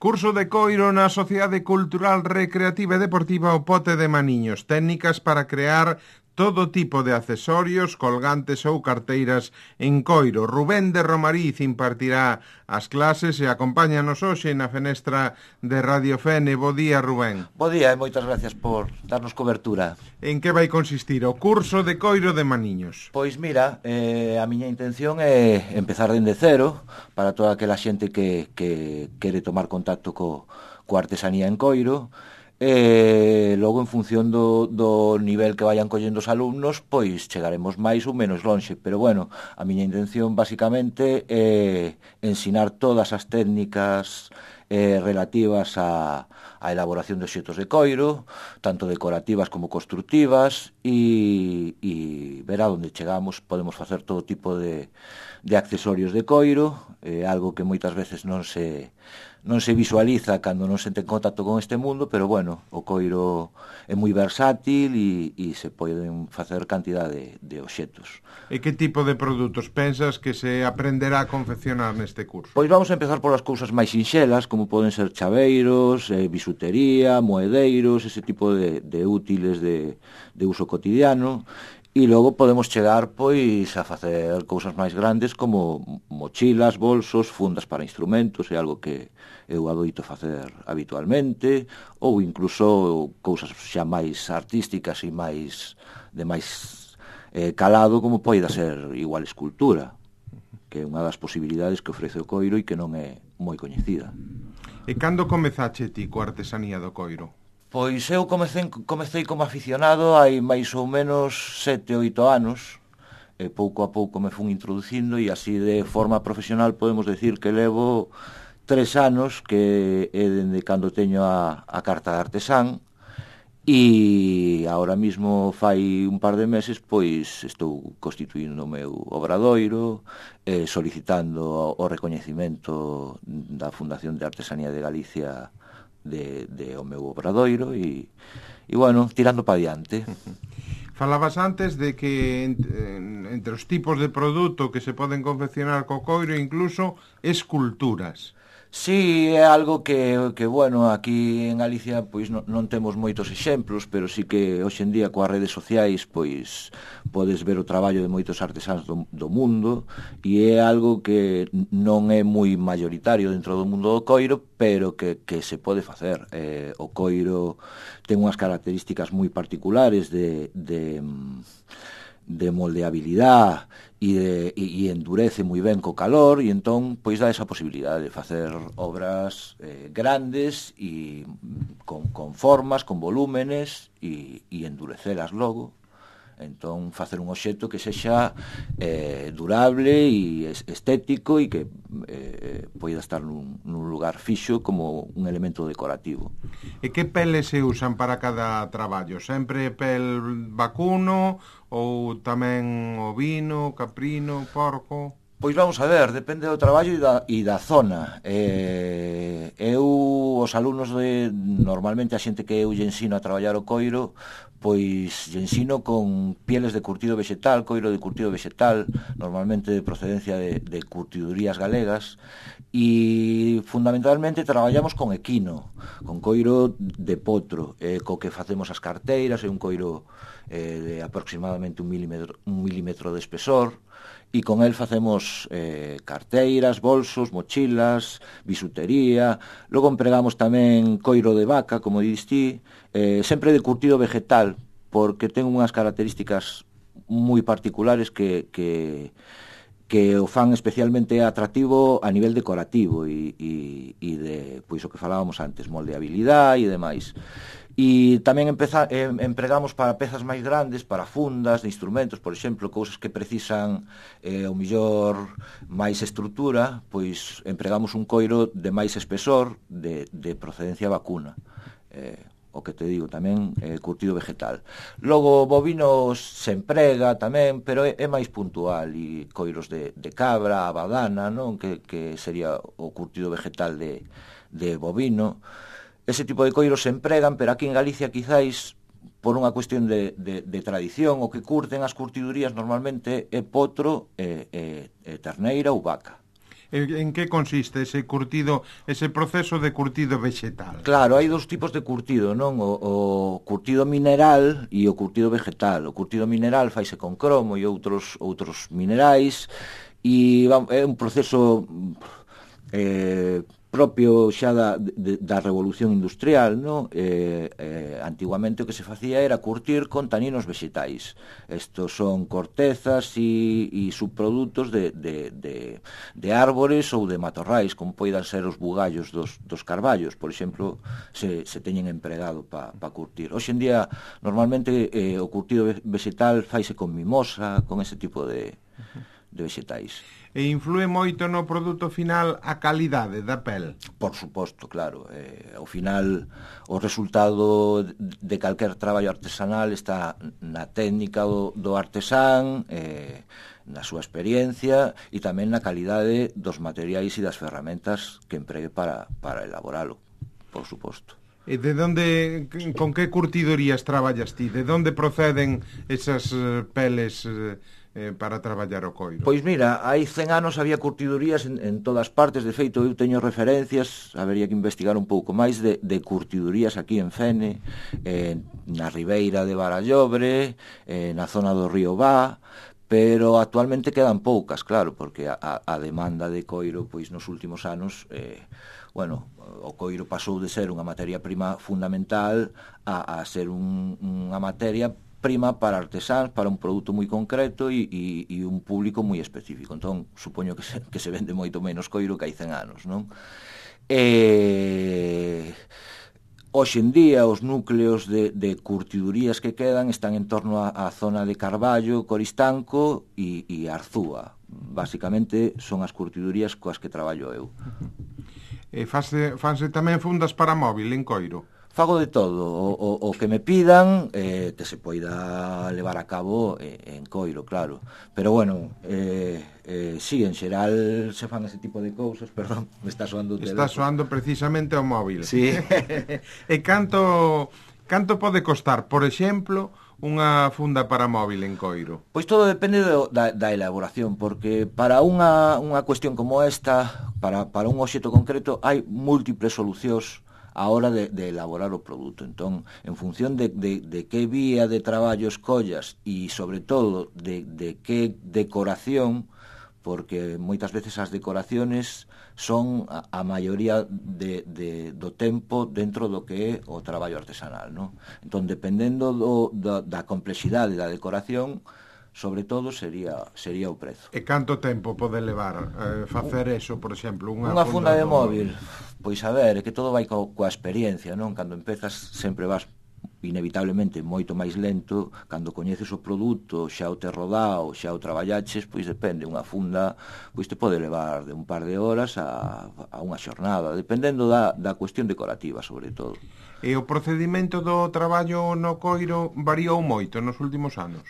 Curso de coiro na Sociedade Cultural Recreativa e Deportiva O Pote de Maniños. Técnicas para crear todo tipo de accesorios, colgantes ou carteiras en coiro. Rubén de Romariz impartirá as clases e acompáñanos hoxe na fenestra de Radio Fene. Bo día, Rubén. Bo día e moitas gracias por darnos cobertura. En que vai consistir o curso de coiro de Maniños? Pois mira, a miña intención é empezar dende cero para toda aquela xente que quere tomar contacto coa artesanía en coiro. Logo, en función do nivel que vayan collendo os alumnos, pois chegaremos máis ou menos lonxe, pero bueno, a miña intención basicamente é ensinar todas as técnicas relativas á elaboración de obxetos de coiro, tanto decorativas como constructivas, e ver a onde chegamos. Podemos facer todo tipo de accesorios de coiro, algo que moitas veces non se visualiza cando non se ten contacto con este mundo, pero bueno, o coiro é moi versátil e se poden facer cantidade de obxetos. E que tipo de produtos pensas que se aprenderá a confeccionar neste curso? Pois vamos a empezar polas cousas máis sinxelas, como poden ser chaveiros, bisutería, moedeiros, ese tipo de útiles de uso cotidiano. E logo podemos chegar, pois, a facer cousas máis grandes como mochilas, bolsos, fundas para instrumentos, é algo que eu adoito facer habitualmente, ou incluso cousas xa máis artísticas e de máis calado, como poida ser igual escultura, que é unha das posibilidades que ofrece o coiro e que non é moi coñecida. E cando comezache ti coa artesanía do coiro? Pois eu comecei como aficionado hai máis ou menos 7 ou 8 anos, e pouco a pouco me fun introducindo, e así de forma profesional podemos decir que levo 3 anos, que é dende cando teño a carta de artesán, e agora mismo fai un par de meses pois estou constituindo o meu obradoiro, solicitando o recoñecemento da Fundación de Artesanía de Galicia de o meu obradoiro e bueno, tirando pa diante. Falabas antes de que entre os tipos de produto que se poden confeccionar co coiro incluso esculturas. Sí, é algo que bueno, aquí en Galicia pois non temos moitos exemplos, pero sí que hoxe en día coas redes sociais pois podes ver o traballo de moitos artesáns do mundo, e é algo que non é moi mayoritario dentro do mundo do coiro, pero que se pode facer. O coiro ten unhas características moi particulares de moldeabilidade e endurece moi ben co calor, e entón pois dá esa posibilidade de facer obras grandes e con formas, con volúmenes e endurecelas logo. Entón facer un obxecto que sexa durable e estético e que poida estar nun lugar fixo como un elemento decorativo. E que peles se usan para cada traballo? Sempre pel vacuno ou tamén ovino, caprino, porco? Pois vamos a ver, depende do traballo e da zona. Os alumnos normalmente a xente que eu lle ensino a traballar o coiro, pois lle ensino con pieles de curtido vegetal, coiro de curtido vegetal, normalmente de procedencia de curtidurías galegas, e fundamentalmente traballamos con equino, con coiro de potro, co que facemos as carteiras, é un coiro de aproximadamente un milímetro de espesor, e con el facemos carteiras, bolsos, mochilas, bisutería. Logo empregamos tamén coiro de vaca, como diste, sempre de curtido vegetal, porque ten unhas características moi particulares que o fan especialmente atractivo a nivel decorativo e de, pois, o que falábamos antes, moldeabilidade e demais. E tamén empregamos para pezas máis grandes, para fundas de instrumentos, por exemplo, cousas que precisan o mellor máis estrutura, pois empregamos un coiro de máis espesor, de procedencia vacuna. O que te digo, tamén curtido vegetal. Logo, bovinos se emprega tamén, pero é máis puntual, e coiros de cabra, abadana, non? Que sería o curtido vegetal de bovino. Ese tipo de coiros se empregan, pero aquí en Galicia quizáis por unha cuestión de tradición, o que curten as curtidurías normalmente é potro, terneira ou vaca. En que consiste ese curtido, ese proceso de curtido vegetal? Claro, hai dous tipos de curtido, non? O curtido mineral e o curtido vegetal. O curtido mineral faise con cromo e outros minerais, e é un proceso propio xa da revolución industrial, non? Antiguamente o que se facía era curtir con taninos vegetais. Estos son cortezas e subprodutos de árbores ou de matorrais, como poidan ser os bugallos dos carballos, por exemplo, se teñen empregado para curtir. Hoxe en día, normalmente, o curtido vegetal faise con mimosa, con ese tipo de vegetais. E influe moito no produto final a calidade da pel? Por suposto, claro. Ao final, o resultado de calquer traballo artesanal está na técnica do artesán, na súa experiencia e tamén na calidade dos materiais e das ferramentas que empregue para elaboralo, por suposto. E con que curtidorías traballas ti? De onde proceden esas peles para traballar o coiro? Pois mira, hai 100 anos había curtidurías en todas partes. De feito, eu teño referencias, habería que investigar un pouco máis de curtidurías aquí en Fene, na ribeira de Barallobre, na zona do río Vá, pero actualmente quedan poucas, claro, porque a demanda de coiro, pois nos últimos anos, o coiro pasou de ser unha materia prima fundamental a ser unha materia prima para artesáns, para un produto moi concreto e un público moi específico. Entón, supoño que se vende moito menos coiro que hai 100 anos, non? Hoxe en día, os núcleos de curtidurías que quedan están en torno á zona de Carballo, Coristanco e Arzúa. Basicamente, son as curtidurías coas que traballo eu. E fanse tamén fundas para móvil en coiro? Fago de todo, o que me pidan, que se poida levar a cabo en coiro, claro. Pero bueno, sí, en xeral se fan ese tipo de cousas. Perdón, me está soando o teléfono. Está soando precisamente o móvil. Sí. E canto pode costar, por exemplo, unha funda para móvil en coiro? Pois todo depende da elaboración, porque para unha cuestión como esta, para un obxecto concreto, hai múltiples solucións a hora de elaborar o produto. Entón, en función de que vía de traballo escollas e, sobre todo, de que decoración, porque moitas veces as decoraciones son a maioría do tempo dentro do que é o traballo artesanal, non? Entón, dependendo da complexidade da decoración, sobre todo sería o prezo. E canto tempo pode levar facer eso, por exemplo, unha funda de móvil? Pois a ver, é que todo vai coa experiencia, non? Cando empezas sempre vas inevitablemente moito máis lento. Cando coñeces o produto, xa o tes rodado, xa o traballaches, pois depende. Unha funda pois te pode levar de un par de horas a unha xornada, dependendo da cuestión decorativa, sobre todo. E o procedimento do traballo no coiro variou moito nos últimos anos?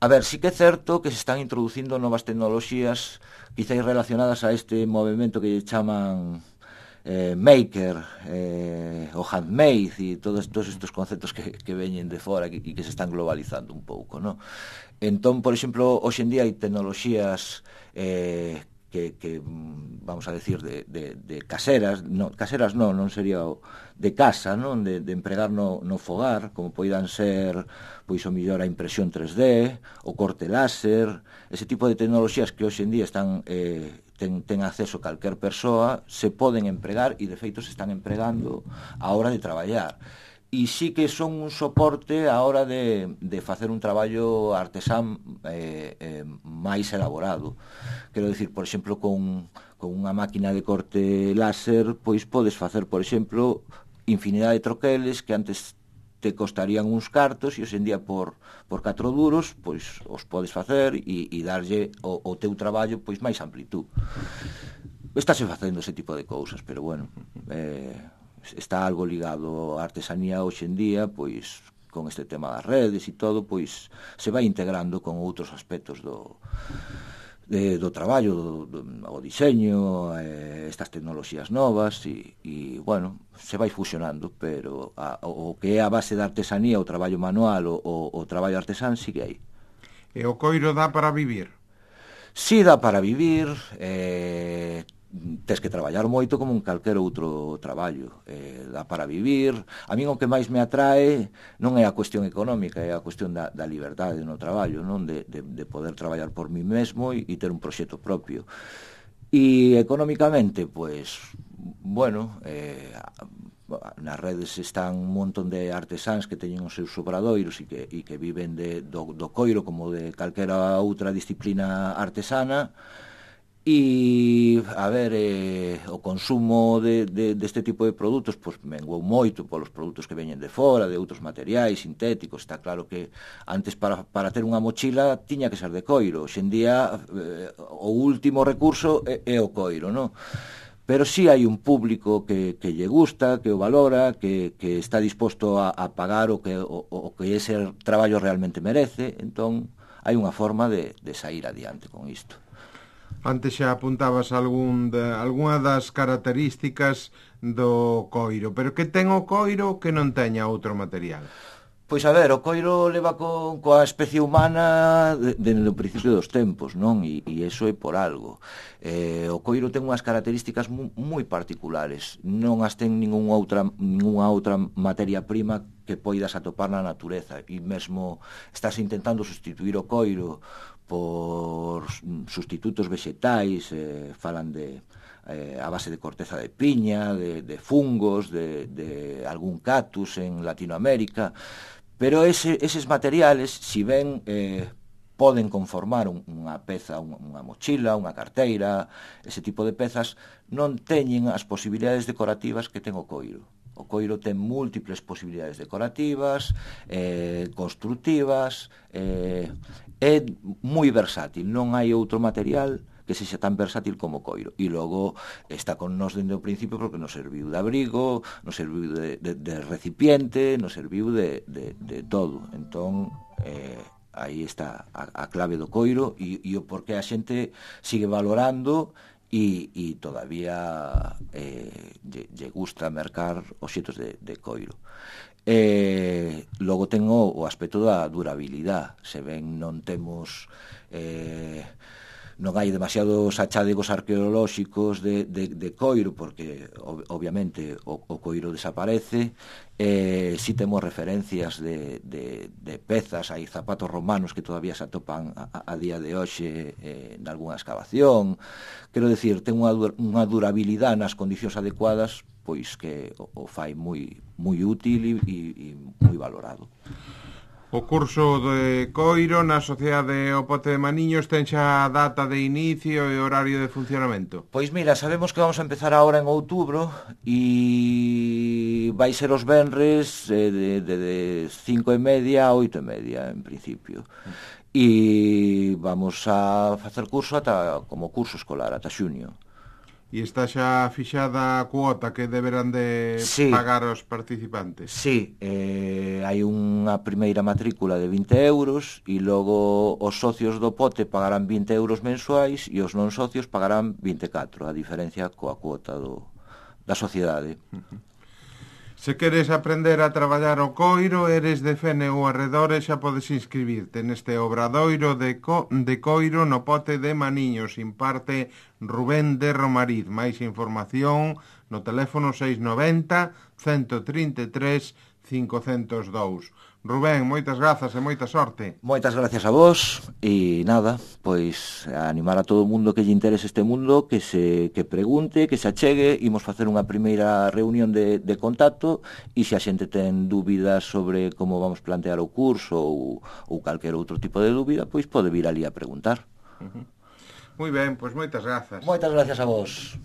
A ver, sí que é certo que se están introducindo novas tecnoloxías, quizás relacionadas a este movimento que chaman maker, o handmade e todos estes conceptos que veñen de fora e que se están globalizando un pouco, non? Entón, por exemplo, hoxe en día hai tecnoloxías que vamos a decir de caseras, non sería de casa, non? De empregar no fogar, como poidan ser pois o mellor a impresión 3D, o corte láser, ese tipo de tecnoloxías que hoxe en día están ten acceso calquer persoa, se poden empregar e de feito se están empregando á hora de traballar. E sí que son un soporte á hora de facer un traballo artesán máis elaborado. Quero dicir, por exemplo, con unha máquina de corte láser, pois podes facer, por exemplo, infinidade de troqueles que antes te costarían uns cartos e hoxe en día por 4 duros pois os podes facer e darlle o teu traballo pois máis amplitud. Estáse facendo ese tipo de cousas, pero bueno, está algo ligado á artesanía hoxe en día, pois con este tema das redes e todo, pois se vai integrando con outros aspectos do traballo, o diseño, estas tecnoloxías novas e bueno, se vai fusionando, pero o que é a base da artesanía, o traballo manual, o traballo artesán, sí que hai. E o coiro dá para vivir? Si dá para vivir, tes que traballar moito como un calquer outro traballo, dá para vivir. A min o que máis me atrae non é a cuestión económica, é a cuestión da liberdade no traballo, non de poder traballar por mí mesmo e ter un proxecto propio. E económicamente, pois, bueno, nas redes están un montón de artesáns que teñen os seus obradoiros e que viven do coiro como de calquera outra disciplina artesana. E, a ver, o consumo deste tipo de produtos pois menguou moito polos produtos que veñen de fora, de outros materiais sintéticos. Está claro que antes para ter unha mochila tiña que ser de coiro. Hoxe en día o último recurso é o coiro, non? Pero sí hai un público que lle gusta, que o valora, que está disposto a pagar o que ese traballo realmente merece. Entón hai unha forma de sair adiante con isto. Antes xa apuntabas algunha das características do coiro, pero que ten o coiro que non teña outro material? Pois a ver, o coiro leva coa especie humana dende o principio dos tempos, non? E iso é por algo. O coiro ten unhas características moi particulares. Non as ten ningunha outra materia prima que poidas atopar na natureza. E mesmo estás intentando sustituir o coiro por sustitutos vexetais, falan a base de corteza de piña, de fungos, de algún cactus en Latinoamérica, pero eses materiales, si ben poden conformar unha peza, unha mochila, unha carteira, ese tipo de pezas, non teñen as posibilidades decorativas que ten o coiro. O coiro ten múltiples posibilidades decorativas, constructivas, é moi versátil, non hai outro material que sexa tan versátil como o coiro. E logo está con nós dende o principio porque nos serviu de abrigo, nos serviu de recipiente, nos serviu de todo. Entón, aí está a clave do coiro e o porqué a xente sigue valorando e todavía lle gusta mercar obxetos de coiro. Logo ten o aspecto da durabilidade. Se ben non temos non hai demasiados achádegos arqueolóxicos de coiro, porque obviamente o coiro desaparece. Si temos referencias de pezas, hai zapatos romanos que todavía se atopan a día de hoxe en algunha excavación. Quero dicir, ten unha durabilidade nas condicións adecuadas, pois que o fai moi útil e moi valorado. O curso de coiro na Sociedade O Pote de Maniños ten xa data de inicio e horario de funcionamento? Pois mira, sabemos que vamos a empezar agora en outubro e vai ser os venres de 5:30 a 8:30 en principio. E vamos a facer curso como curso escolar ata xuño. E está xa fixada a cuota que deberán de pagar os participantes? Sí, hai unha primeira matrícula de 20 euros e logo os socios do pote pagarán 20 euros mensuais e os non socios pagarán 24, a diferencia coa cuota da sociedade. Se queres aprender a traballar o coiro, eres de Fene ou arredores, xa podes inscribirte neste obradoiro de coiro no Pote de Maniños. Imparte Rubén de Romariz. Máis información no teléfono 690 133 502. Rubén, moitas grazas e moita sorte. Moitas gracias a vos e nada, pois a animar a todo o mundo que lle interese este mundo que pregunte, que se achegue. Imos facer unha primeira reunión de contacto e se a xente ten dúbidas sobre como vamos plantear o curso ou calquer outro tipo de dúbida, pois pode vir ali a preguntar. Moi ben, pois moitas grazas. Moitas gracias a vos.